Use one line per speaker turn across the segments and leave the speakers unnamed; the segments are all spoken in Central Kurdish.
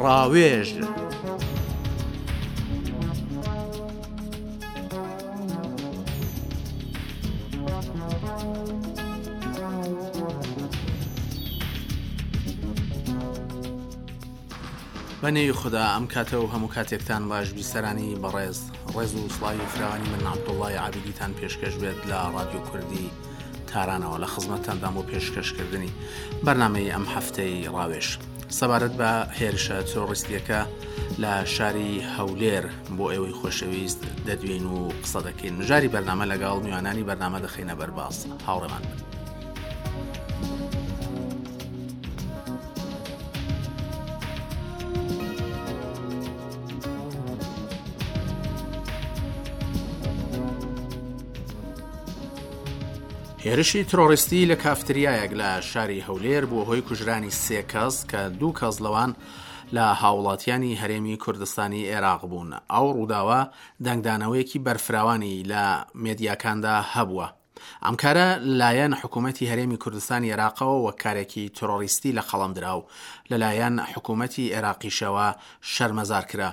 ڕاوێژ. بە نێوی خودا ئەم کاتە و هەموو کاتێکتان باش بیسەرانی بەڕێز ڕێز و سڵاوی فراوانی من عەبدوڵڵای عابیدیتان پێشکەش بێت لە ڕادیۆ کوردی تارانەوە لە خزمەتتاندام بۆ پێشکەشکردنی بەرنامەی ئەم هەفتەی ڕاوێژ سەبارەت بە هێرشە ترۆریستیەکە لە شاری هەولێر بۆ ئێوەی خۆشەویست دەدوێین و قسە دەکەین مژاری بەرنامە لەگەڵ میوانانی بەرنامە دەخەینە بەرباس هاوڕێمان بن. هێرشی ترۆریستی لە کافتریایەک لە شاری هەولێر بووە هۆی کوژرانی سێ کەس کە دوو کەس لەوان لە هاوڵاتیانی هەرێمی کوردستانی عێراق بوون. ئەو ڕووداوە دەنگدانەوەیەکی بەرفراوانی لە مێدیاکاندا هەبووە. ئەم کارە لەلایەن حکوومەتی هەرێمی کوردستانی عێراقەوە وەک کارێکی ترۆریستی لە قەڵەم درا و لەلایەن حکوومەتی عێراقیشەوە شەرمەزار کرا.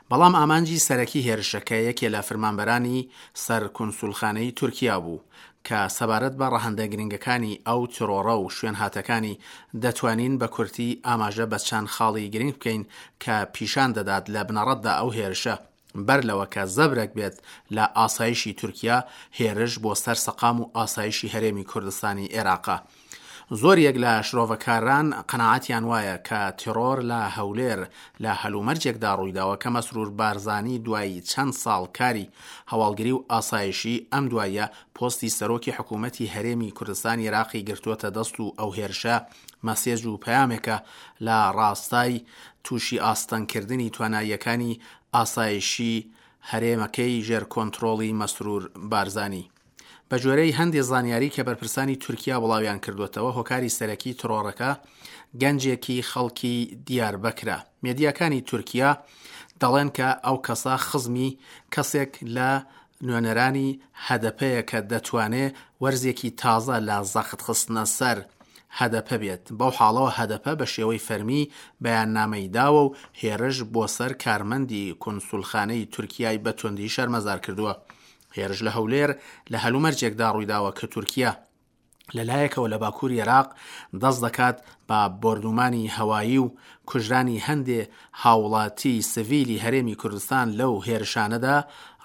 بەڵام ئامانجی سەرەکی هێرشەکە یەکێ لە فرمانبەرانی سەر کونسولخانەی تورکیا بوو، کە سەبارەت بە ڕەهەندە گرنگەکانی ئەو ترۆڕە و شوێنهاتەکانی دەتوانین بە کورتی ئاماژە بە چەند خاڵی گرنگ بکەین کە پیشان دەدات لە بنەڕەتدا ئەو هێرشە بەر لەوە کە زەبرەک بێت لە ئاسایشی تورکیا هێرش بۆ سەر سەقام و ئاسایشی هەرێمی کوردستانی ئێراقە. زۆریەک لە شرۆڤەکاران قەناعەتیان وایە کە تێڕۆر لە هەولێر لە هەلومەرجێکدا ڕوویداوە کە مەسرور بارزانی دوای چەند ساڵ کاری هەواڵگری و ئاسایشی ئەم دواییە پۆستی سەرۆکی حکوومەتی هەرێمی کوردستانی عێراقی گرتووەتە دەست و ئەو هێرشە مەسێج و پەیامێکە لە ڕاستای تووشی ئاستەنگکردنی تواناییەکانی ئاسایشی هەرێمەکەی ژێر کۆنترۆڵی مەسرور بارزانی. بەگوێرەی هەندێ زانیاری کە بەرپرسانی تورکیا بڵاویان کردووەتەوە، هۆکاری سەرەکی تڕۆڕەکە گەنجێکی خەڵکی دیاربەکرە. مێدیاکانی تورکیا دەڵێن کە ئەو کەسە خزمی کەسێک لە نوێنەرانی هەدەپەیە کە دەتوانێ وەرزێکی تازە لە زەخت خستنە سەر هەدەپە بێت. بەو حاڵەوە هەدەپە بە شێوەی فەرمی بەیاننامەی داوە و هێرش بۆ سەر کارمەندی کونسولخانەی تورکیای بە توندی شەرمەزار کردووە. هێرش لە هەولێر لە هەلومەرجێکدا ڕوویداوە کە تورکیا لە لایەکەوە لە باکووری عێراق دەست دەکات بە بۆردومانی هەوایی و کوژرانی هەندێ هاوڵاتی سڤیلی هەرێمی کوردستان لەو هێرشانەدا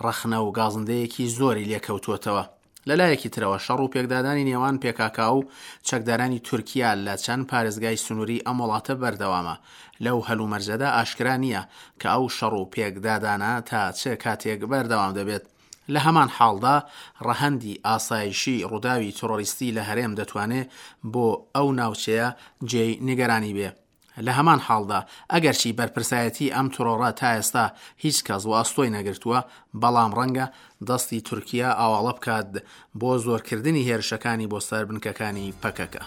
ڕەخنە و گازندەیەکی زۆری لێکەوتووەتەوە. لە لایەکی ترەوە شەڕ و پێکدادانی نێوان پێکاکا و چەکدارانی تورکیا لە چەند پارێزگای سنووری ئەم وڵاتە بەردەوامە. لەو هەلومەرجەدا ئاشکرا نییە کە ئەو شەڕ و پێکدادانە تا چ کاتێک بەردەوام دەبێت. لە هەمان حاڵدا ڕەهەندی ئاسایشیی ڕووداوی تڕۆریستی لە هەرێم دەتوانێ بۆ ئەو ناوچەیە جێی نیگەرانی بێ. لە هەمان حاڵدا ئەگەرچی بەرپرسایەتیی ئەم تڕۆڕە تا ئێستا هیچ کەس وەئەستۆی نەگرتووە، بەڵام ڕەنگە دەستی تورکیا ئاواڵە بکات بۆ زۆرکردنی هێرشەکانی بۆ سەر بنکەکانی پەکەکە.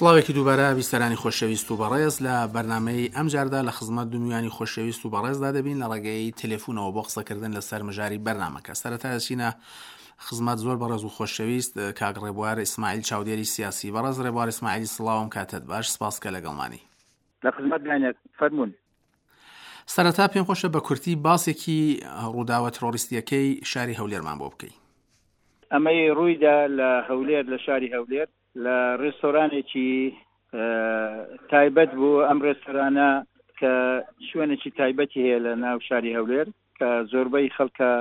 سڵاوێکی دووبارە بیسەرانی خۆشەویست و بەڕێز لە بەرنمەی ئەمجاردا لە خزمەت دومیانی خۆشەویست و بەڕێزدا دەبین لە ڕێگەی تەلەفۆنەوە بۆ قسەکردن لەسەر مژاری بەرنمەکە سەرەتا دەچینە خزمەت زۆر بەڕێز و خۆشەویست کاک ڕێبوار ئیسماعیل چاودێری سیاسی بەڕێز ڕێبوار ئیسماعیل سڵاوم کاتت باش سپاس کە لەگەڵمانی.
لە خزمەت داینە فەرموون.
سەرەتا پێم خۆشە بە کورتی باسێکی ڕووداوە ترۆریستیەکەی شاری هەولێرمان بۆ بکەی.
ئەمەی ڕوویدا لە هەولێر لە شاری هەولێر لە ڕێستۆرانێکی تایبەت بوو ئەم ڕێستۆرانە کە شوێنێکی تایبەتی هەیە لە ناو شاری هەولێر کە زۆربەی خەڵکە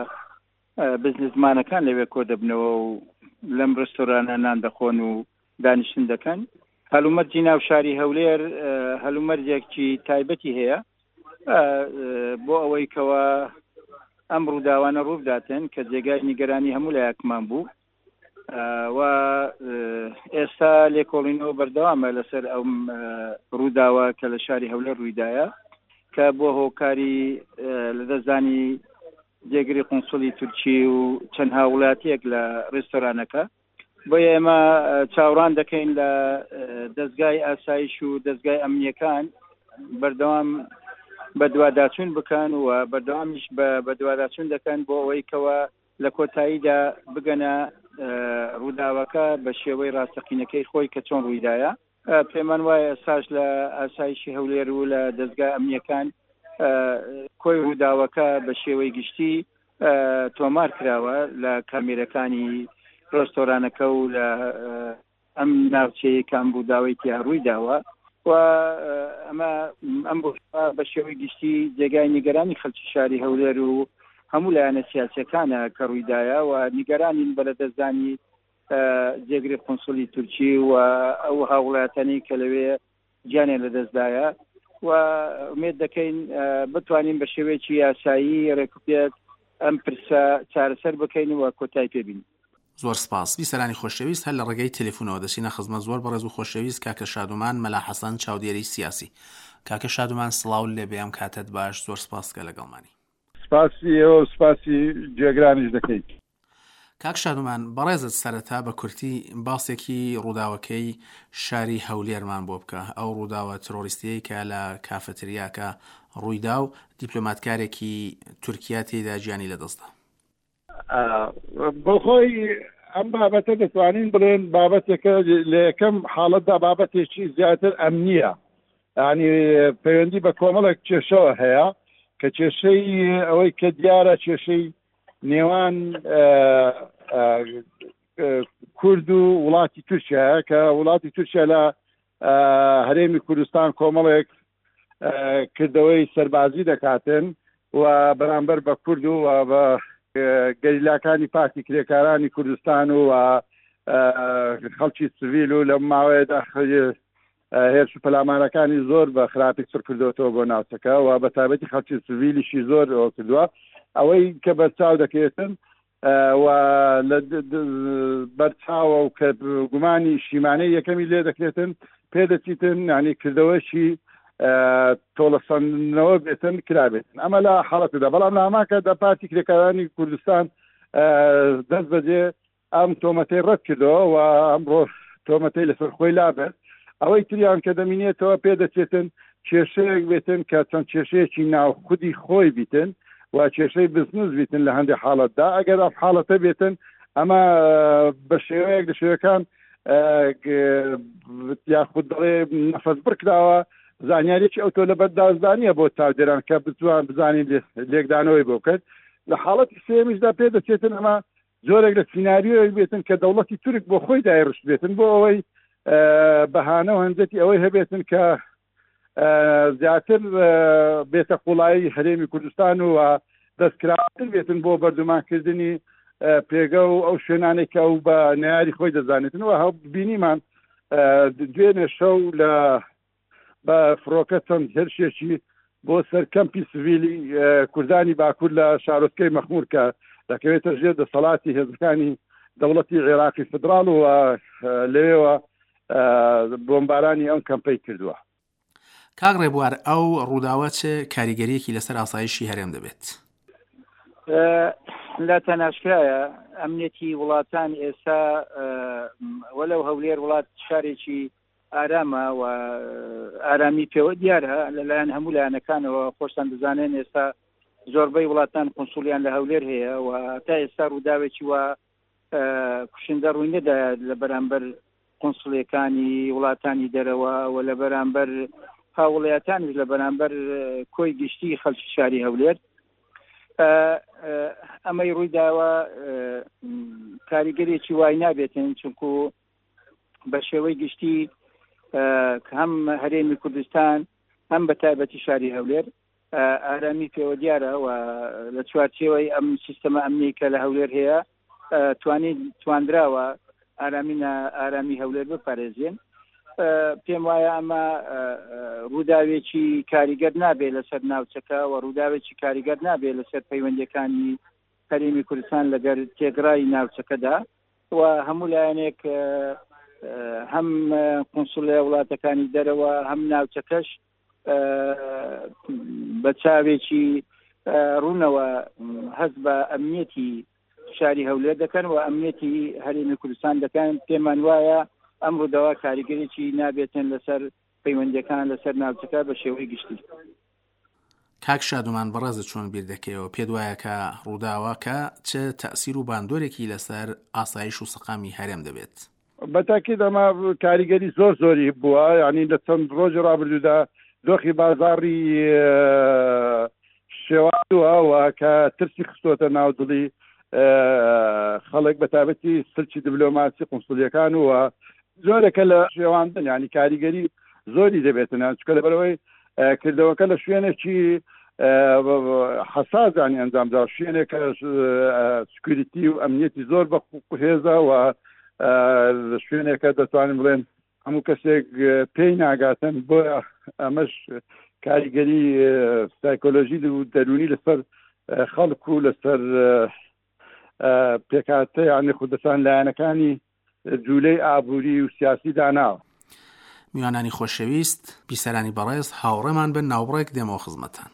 بزنسمانەکان لەوێ کۆدەبنەوە و لەم ڕێستۆرانە نان دەخۆن و دانیشتن دەکەن هەلومەرجی ناو شاری هەولێر هەلومەرجێکی تایبەتی هەیە بۆ ئەوەی کەوا ئەم ڕووداوانە ڕووبداتن کە جێگای نیگەرانی هەموو لایەکمان بوو و ئێستا لێکۆڵینەوە بەردەوامە لەسەر ئەو ڕووداوە کە لە شاری هەولێر ڕوویدایە. کە بووە هۆکاری لەدەستدانی جێگری قونسوڵی تورکی و چەند هاووڵاتییەک لە ڕێستۆرانەکە. بۆیە ئێمە چاوڕان دەکەین لە دەزگای ئاسایش و دەزگای ئەمنییەکان بەردەوام بەدواداچوون بکەن و بەردەوامیش بە بەدواداچوون دەکەن بۆ ئەوەی کەوا لە کۆتاییدا بگەنە ڕووداوەکە بە شێوەی ڕاستەقینەکەی خۆی کە چۆن ڕوویدایە. پێمان وایە ئێستاش لە ئاسایشی هەولێر و لە دەزگا ئەمنییەکان کۆی ڕووداوەکە بە شێوەی گشتی تۆمار کراوە لە کامێرەکانی ڕێستۆرانەکە و لە ئەم ناوچەیە کە ئەم ڕووداوەی تیا ڕووی داوە و ئەمە ئەم بە شێوەی گشتی جێگای نیگەرانی خەلکی شاری هەولێر و هەموو لایەنە سیاسیەکانە کە ڕوویدایە و نیگەرانین بە لەدەستدانی جێگری قونسولی تورکی و ئەو هاووڵاتانی کە لەوێ گیانیان لەدەستدایە و ئومێد دەکەین بتوانین بە شێوەیەکی یاسایی ڕێکوپێک ئەم پرسە چارەسەر بکەین و کۆتای پێ بینین.
زۆر سپاس. بیسەرانی خۆشەویست هەر لە ڕێگەی تەلەفونەوە دەچینە خزمەت زۆر بەڕێز و خۆشەویست کاکە شادومان مەلا حەسەن چاودێری سیاسی. کاکە شادومان سڵاو لێبێ ئەم کاتەت باش زۆر سپاس کە لەگەڵمانی.
سپاسی ئێوە و سپاسی گوێگرانیش دەکەین.
کاک شادومان بەڕێزت سەرەتا بە کورتی باسێکی ڕووداوەکەی شاری هەولێرمان بۆ بکە، ئەو ڕووداوە ترۆریستیەی کە لە کافەتریاکە ڕوویدا و دیپلۆماتکارێکی تورکیا تێیدا گیانی لەدەستدا.
بۆخۆی ئەم بابەتە دەتوانین بڵێن بابەتێکە لە یەکەم حاڵەتدا بابەتێکی زیاتر ئەمنییە ینی پەیوەندی بە کۆمەڵێک کێشەوە هەیە کە کێشەی ئەوەی کە دیارە کێشەی نێوان کورد و وڵاتی تورکیا کە وڵاتی تورکیا لە هەرێمی کوردستان کۆمەڵێک کردەوەی سەربازی دەکاتن و بەرامبەر بە کورد و بە گەریلاکانی پارتی کرێکارانی کوردستان و خەڵکی سڤیل و لەم ماوەیەدا هێرش و پەلامارەکانی زۆر بە خراپی چڕ کردوەتەوە بۆ ناوچەکە و بە تایبەتی خەڵکی سڤیلیشی زۆر ئەوە کردووە ئەوەی کە بەرچاو دەکەوێتن و لە بەرچاوە و کە گومانی شیمانەی یەکەمی لێ دەکرێتن پێدەچیتن ینی کردەوەشی تۆڵەسەندنەوە بێتن کرابێتن ئەمە لە حاڵەتدا بەڵام لە هەمان کاتدا پارتی کرێکارانی کوردستان دەست بەجێ ئەم تۆمەتەی ڕەت کردەوە و ئەمڕۆ تۆمەتەی لەسەر خۆی لابرد. ئەوەی تریان کە دەمینێتەوە پێدەچێتن کێشەیەک بێتن کە چەند کێشەیەکی ناو خودی خۆی بیتن و کێشەی بزنس بیتن لە هەندێک حاڵەتدا ئەگەر ئەم حاڵەتە بێتن ئەمە بە شێوەیەک لە شێوەکان یاخود دەڵێ نەفەس بڕکراوە زانیاریی ئەو تۆ لە بەردازدا نییە بۆ چاودێران کە بتوان بزانین لێکدانەوەی بۆ بکەن لە حاڵەتی سێمیشدا پێدەچێتن ئەمە جۆرێک لە سیناریۆیەک بێتن کە دەوڵەتی تورک بۆ خۆی دایڕشت بێتن بۆ ئەوەی بەهانە و هەنجەتی ئەوەی هەبێتن کە زیاتر بێتە قوڵایی هەرێمی کوردستان و دەستکراوتر بێتن بۆ بەردومانکردنی پێگە و ئەو شوێنانێک کە ئەو بە نەیاری خۆی دەزانێتن و هەو بینیمان دوێنێ شەو لە بە فڕۆکە چەند هێرشێکی بۆ سەر کەمپی سڤیلی کوردانی باکوور لە شارۆچکەی مەخمور کە دەکەوێتە ژێر دەسەڵاتی هێزەکانی دەوڵەتی عێراقی فدراڵ و لەوێوە بۆمبارانی ئەم کەمپەی کردووە.
کاک ڕێبوار ئەو ڕووداوە چ کاریگەریەکی لەسەر ئاسایشی هەرێم دەبێت؟
لاتان ئاشکرایە ئەمنیەتی وڵاتان ئێستا وەلەو هەولێر وڵات شارێکی ئارامە و ئارامی پێوە دیارە لەلایەن هەموو لایەنەکانەوە خۆشتان دەزانێن ئێستا زۆربەی وڵاتان قونسولیان لە هەولێر هەیە و تا ئێستا ڕووداوێکی وا کوشندە ڕووی نەدا لە بەرامبەر قونسڵیەکانی وڵاتانی دەرەوە و لە بەرامبەر هاوڵاتانیش لە بەرامبەر کۆی گشتی خەڵکی شاری هەولێر ئەمەی ڕوویداوە کاریگەرێکی وای نابێتن چونکو بە شێوەی گشتی هەم هەرێمی کوردستان هەم بە تایبەتی شاری هەولێر ئارامی پێوە دیارە و لە چوارچێوەی ئەم سیستەمە ئەمنی کە لە هەولێر هەیە توانی تواندراوە ئارامی ئارامی هەولێر بپارێزێن پێم وایە ئەمە ڕووداوێکی کاریگەر نابێت لەسەر ناوچەکە و ڕووداوێکی کاریگەر نابێت لەسەر پەیوەندیەکانی هەرێمی کوردستان لەگەر تێگرای ناوچەکەدا و هەموو لایەنێک هەم قونسڵە وڵاتەکانی دەرەوە هەم ناوچەکەش بە چاوێکی ڕوونەوە هەست بە ئەمنیەتی شاری هەولێر دەکەن و ئەمنیەتی هەرێمی کوردستان دەکەن. پێمان وایە ئەم ڕووداوە کاریگەریی نابێتن لەسەر پەیوەندیەکان لەسەر ناوچەکە بە شێوەی گشتی.
کاک شادومان بەڕێزت چۆن بیر دەکەیەوە پێت وایە کە ڕووداوەکە چ تەئسیر و باندۆرێکی لەسەر ئاسایش و سەقامی هەرێم دەبێت؟
بە تاکید ئەمە کاریگەری زۆر زۆری بووە یعنی لە چەند ڕۆژی ڕابردوودا دۆخی بازاڕی شێواندووە و کە ترسی خستۆتە ناو دڵی خەڵک بە تایبەتی سلکی دیبلۆماسی قونسڵیەکان و جۆرێکە لە شێواندن ینی کاریگەری زۆری دەبێتن چکە لەبەرەوەی کردەوەکە لە شوێنێکی حەسازانی ئەنجامدا شوێنێکە سکوریتی و ئەمنیەتی زۆر بە هێزە و شوێنێکە دەتوانین بڵێن هەموو کەسێک پێی ناگاتن بۆ ئەمەش کاریگەری سایکۆلۆژی و دەرونی لەسەر خەڵک و لەسەر پێکهاتە یانی خودەسان لایەنەکانی جوولەی ئابووری و سیاسی داناوە.
میوانانی خۆشەویست، بیسەرانی بەڕێز، هاوڕێمان بن، ناوبڕێک دێمەوە خزمەتتان.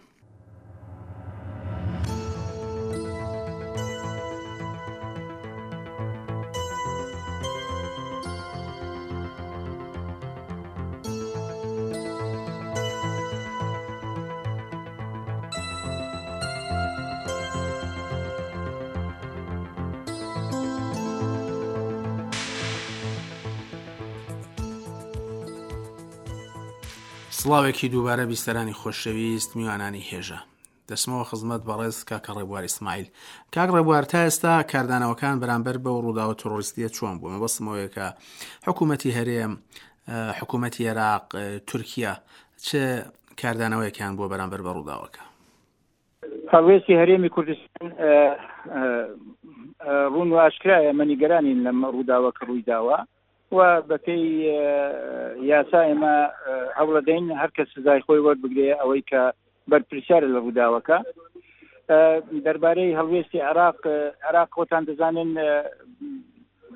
سڵاوێکی دووبارە بیسەرانی خۆشەویست میوانانی هێژا دەچمەوە خزمەت بەڕێز کاکە ڕێبوار ئیسماعیل. کاک ڕێبوار تا ئێستا کاردانەوەکان بەرامبەر بەو ڕووداوە ترۆریستیە چۆن بوو؟ مەبەستم ئەوەیە کە حکوومەتی هەرێم، حکوومەتی عێراق، تورکیا چ کاردانەوەیەکیان بووە بەرامبەر بە ڕووداوەکە؟
هەڵوێستی هەرێمی کوردستان ڕوون و ئاشکرایە، ئێمە نیگەرانین لەم ڕووداوە کە ڕووی داوە و بەپێی یاسا ئێمە هەوڵەدەین هەر کەس سزای خۆی وەربگرێ ئەوەی کە بەرپرسیارە لە ڕووداوەکە. دەربارەی هەڵوێستی عێراق، عێراق خۆتان دەزانن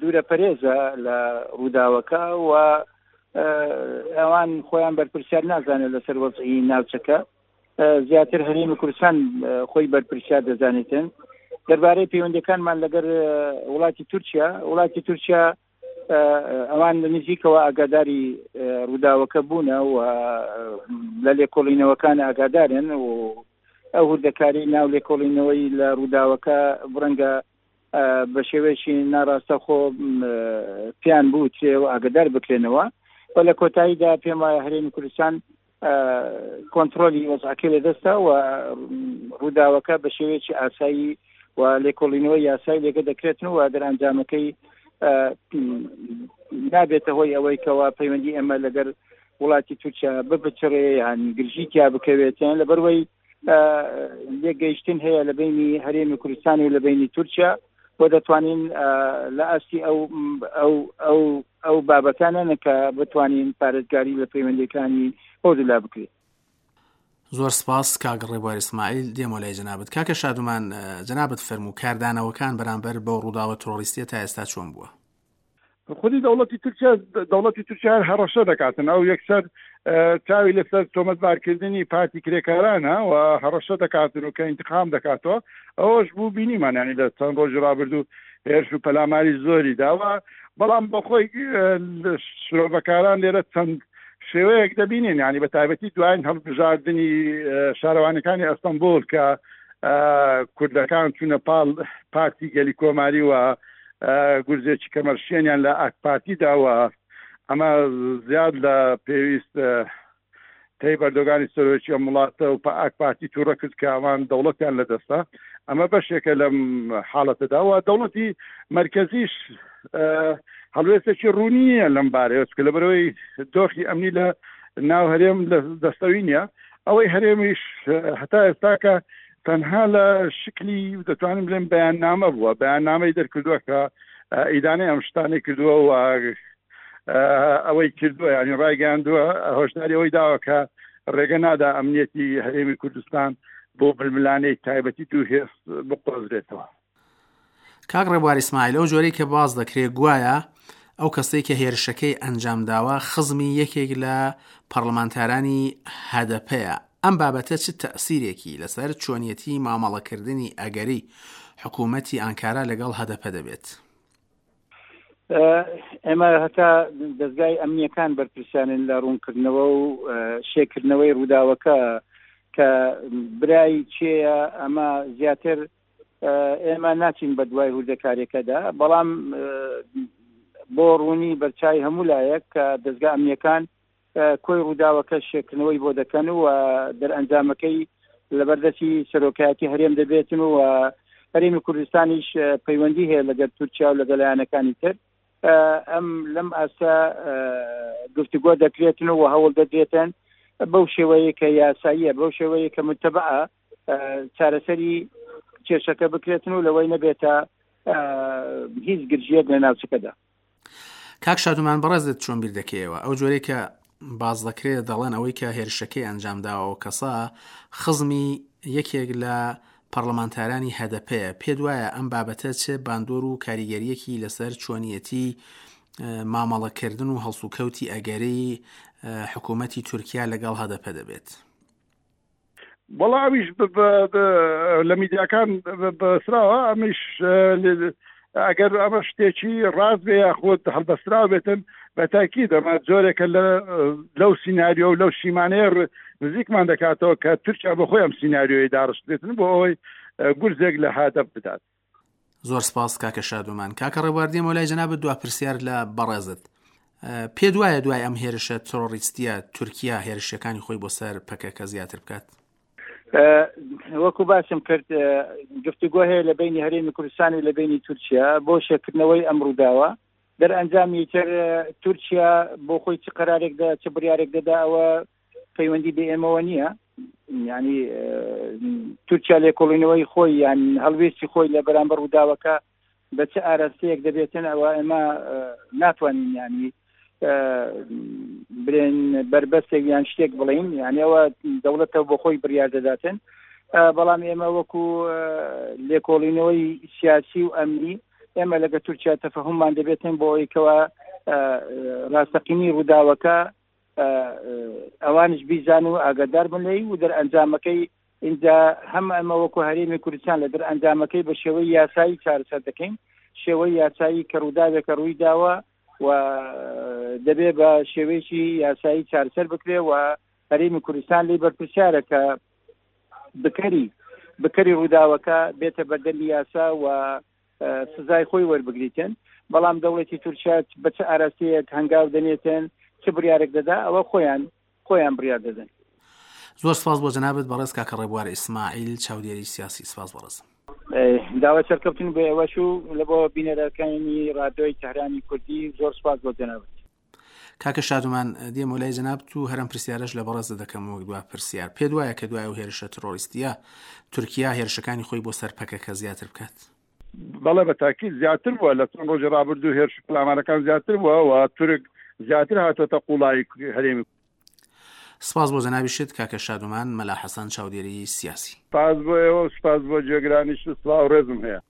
دوورە پەرێزە لە ڕووداوەکە و ئەوان خۆیان بەرپرسیار نازانێت لەسەر وەزعی ناوچەکە، زیاتر هەرێمی کوردستان خۆی بەرپرسیار دەزانێتن. دەربارەی پەیوەندەکانمان لەگەر وڵاتی تورکیا، وڵاتی تورکیا ئەوان لە نزیکەوە ئاگاداری ڕووداوەکە بوونە و لە لێکۆڵینەوەکان ئاگادارن و ئەو هوردەکاری ناو لێکۆڵینەوەی لە ڕووداوەکە بڕەنگە بە شێوەیەکی ناڕاستەخۆ پێیان بوترێ و ئاگادار بکرێنەوە و لە کۆتاییدا پێم وایە هەرێمی کوردستان کۆنتڕۆلی وەزعەکەی لەدەستە و ڕووداوەکە بە شێوەیەکی ئاسایی و لێکۆڵینەوەی یاسای لێگە دەکرێتن و دەرئەنجامەکەی نابێتە هۆی ئەوەی کەوا پەیوەندی ئێمە لەگەر وڵاتی تورکیا بپچڕێ یان گرژی تیا بکەوێتیان لەبەروەی لێکگەیشتن هەیە لە بینی هەرێمی کوردستان و لە بینی تورکیا و دەتوانین لە ئاستی ئەو ئەو ئەو ئەو بابەتانە کە بتوانین پارێزگاری لە پەیوەندیەکانی هەردوولا بکرێت.
زۆر سپاس کاک ڕێبوار ئیسماعیل دێمەوە لای جەنابت کاکە شادومان جەنابت فەرموو کاردانەوەکان بەرامبەر بەو ڕووداوە ترۆریستیە تا ئێستا چۆن بووە؟
خودی دەوڵەتی تورکیا دەوڵەتی تورکیا هەر هەڕەشە دەکاتن ئەو یەکسەر چاوی لەسەر تۆمەتبارکردنی پارتی کرێکارانە و هەڕەشە دەکاتن و کە ئینتقام دەکاتەوە ئەوەش بوو بینیمان ینی لە چەند ڕۆژی ڕابردوو هێرش و پەلاماری زۆری داوە بەڵام بەخۆی شرۆڤەکاران لێرە چەند شێوەیەک دەبینین ینی بە تایبەتی دوایین هەڵبژاردنی شارەوانەکانی ئەستەمبول کە کوردەکان چوونە پاڵ پارتی گەلی کۆماری و گورزێکی کەمەرشێنیان لە ئاکپارتی داوە، ئەمە زیاد لە پێویست تەیب ئەردۆگانی سەرۆکی ئەم وڵاتە و ئاکپارتی تووڕە کرد کە ئەوان دەوڵەتیان لەدەستە. ئەمە بەشێکە لەم حاڵەتەدا و دەوڵەتی مەرکەزیش هەڵوێستێکی ڕوونی نییە لەم بارەیەوە، چونکە لەبەرئەوەی دۆخی ئەمنی لە ناو هەرێم لە دەستەوی نییە. ئەوەی هەرێمیش هەتا ئێستاکە تەنها لە شکلی دەتوانین بڵێن بەیاننامە بووە، بەیاننامەی دەرکردووە کە ئیدانەی ئەم شتانەی کردووە و ئەوەی کردووە یعنی ڕایگەیاندووە هۆشداری ئەوەی داوە کە ڕێگە نادا ئەمنیەتی هەرێمی کوردستان بۆ ململانێی تایبەتی دوو هێز بقۆزرێتەوە.
کاک ڕێبوار ئیسماعیل ئەو جۆرەی کە باس دەکرێت گوایە ئەو کەسەی کە هێرشەکەی ئەنجامداوە خزمی یەکێک لە پەڕلەمانتارانی هەدەپەیە، ئەم بابەتە چ تەئسیرێکی لەسەر چۆنیەتی مامەڵەکردنی ئەگەری حکوومەتی ئانکارا لەگەڵ هەدەپە دەبێت؟
ئێمە هەتا دەزگای ئەمنیەکان بەرپرسیانن لە ڕوونکردنەوە و شێکردنەوەی ڕووداوەکە کە برای چێە ئەمە زیاتر ئێمە ناچین بە دوای هوردەکارێکەدا بەڵام بۆ ڕوونی بەرچای هەموو لایەک کە دەزگا ئەمنیەکان کۆی ڕووداوەکە شێکردنەوەی بۆ دەکەن و دەرئەنجامەکەی لەبەردەستی سەرۆکایەتی هەرێم دەبێتن و هەرێمی کوردستانیش پەیوەندی هەیە لەگەر تورکیا و لەگەڵ لایەنەکانی تر ئەم لەم ئاستە گفتوگۆ دەکرێتن و هەوڵ دەدرێتن بەو شێوەیە کە یاساییە بەو شێوەیە کە متەبعە چارەسەری کێشەکە بکرێتن و لەوەی نەبێتە هیچ گرژیەک لە ناوچەکەدا.
کاک شادومان بەڕێزت چۆن بیر دەکەیەوە ئەو جۆرەی کە باس دەکرێت دەڵێن ئەوەی کە هێرشەکەی ئەنجام داوە ئەو کەسە خزمی یەکێک لە پەڕلەمانتارانی هەدەپەیە پێت وایە ئەم بابەتە چ باندۆر و کاریگەریەکی لەسەر چۆنیەتی مامەڵەکردن و هەڵسوکەوتی ئەگەری حکوومەتی تورکیا لەگەڵ هەدەپە دەبێت؟
وەڵا ئەویش لە میدیاکان بەسراوە ئەمیش ئەگەر ئەمە شتێکی ڕاست بێ یاخود هەڵبەستراو بێتن بە تاکید ئەمە جۆرێکە لە لەو سینناریۆ و لەو شیمانەیە نزیکمان دەکاتەوە کە تورکیا بە خۆی ئەم سینناریۆی داڕشت بێتن بۆ ئەوەی گورزێک لە هادەپ بدات.
زۆر سپاس کاکە شادومان. کاکە ڕێبوار دێمەوە لای جەنابت دوا پرسیار لە بەڕێزت. پێت وایە دوای ئەم هێرشە ترۆریستیە تورکیا هێرشەکانی خۆی بۆ سەر پەکەکە زیاتر بکات؟
وەکو باسم کرد گفتوگۆ هەیە لە بینی هەرێمی کوردستان و لە بینی تورکیا بۆ شێکردنەوەی ئەم ڕووداوە دەرئەنجامی تر تورکیا بۆ خۆی چ قەرارێک دە چ بڕیارێک دەدا ئەوە پەیوەندی بە ئێمەوە نییە ینی تورکیا لێکۆڵینەوەی خۆی یان هەڵوێستی خۆی لە بەرامبەر ڕووداوەکە بە چ ئاراستەیەک دەبێتن ئەوە ئێمە ناتوانین ینی برێن بربەستێک یان شتێک بڵین یعنی ئەوە دەوڵەتە بۆ خۆی بڕیار دەداتن بەڵام ئێمە وەکو لێکۆڵینەوەی سیاسی و ئەمنی ئێمە لەگە تورکیا تەفەهممان دەبێتن بۆ ئەوەی کەوا ڕاستەقینی ڕووداوەکە ئەوانش بیزان و ئاگادار بن لێی و دەرئەنجامەکەی ئینجا هەم ئەمە وەکو هەرێمی کوردستان لە دەرئەنجامەکەی بە شێوەی یاسایی چارەسەر دەکەین شێوەی یاسایی کە ڕووداوێکە ڕووی داوە و دەبێ بە شێوەیەکی یاسایی چارەسەر بکرێ و هەرێمی کوردستان لی بەرپرسیارە کە بکەری بکەری ڕووداوەکە بێتە بەردەمی یاسا و سزای خۆی وەربگریتن بەڵام دەوڵەتی تورکیا بە چ ئاراستەیەک هەنگاو دەنێتن چ بڕیارێک دەدا ئەوە خۆیان خۆیان بڕیار دەدەن.
زۆر سپاس بۆ جەنابت بەڕێز کاکە ڕێبوار ئیسماعیل چاودێری سیاسی سپاس بەڕێز.
داوای سەرکەوتن بۆ ئێوەش و لە بۆ بینەرەکانی ڕادیۆی تەهرانی کوردی زۆر سپاس بۆ جەنابت.
کاکە شادومان دێمەوە لای جەنابت و هەرم پرسیارەش لە بەڕێزت دەکەم وەک دوا پرسیار پێت وایە کە دوای ئەو هێرشە ترۆریستیە تورکیا هێرشەکانی خۆی بۆ سەر پەکەکە زیاتر بکات؟
بەڵێ بە تاکید زیاتر بووە لە چەند ڕۆژی ڕابردوو هێرش و پەلامارەکان زیاتر بووە و تورک زیاتر هاتۆتە قوڵایی هەرێمی
سپاس بۆ جەنابیشت کاکە شادومان مەلا حەسەن چاودێری سیاسی.
سپاس بۆ ئێوە و سپاس بۆ گوێگرانیشت و سڵاو و ڕێزم هەیە.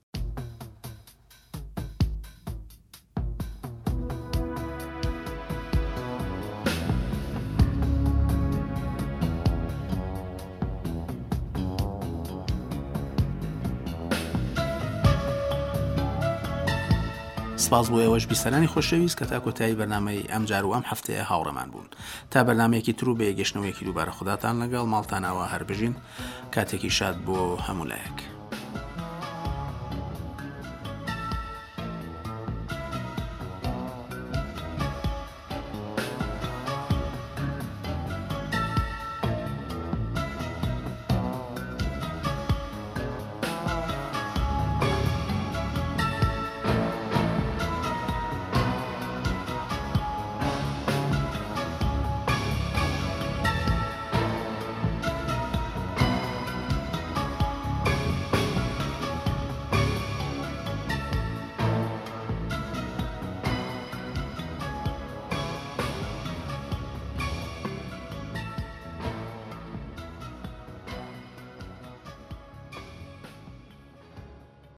سپاس بۆ ئێوەش بیسەرانی خۆشەویست کە تا کۆتایی بەرنامەی ئەمجار و ئەم هەفتەیە هاوڕێمان بوون تا بەرنمەیەکی تر و بەیەگەشتنەوەیەکی دووبارە خوداتان لەگەڵ ماڵتان ئاوا هەر بژین کاتێکی شاد بۆ هەموو لایەک.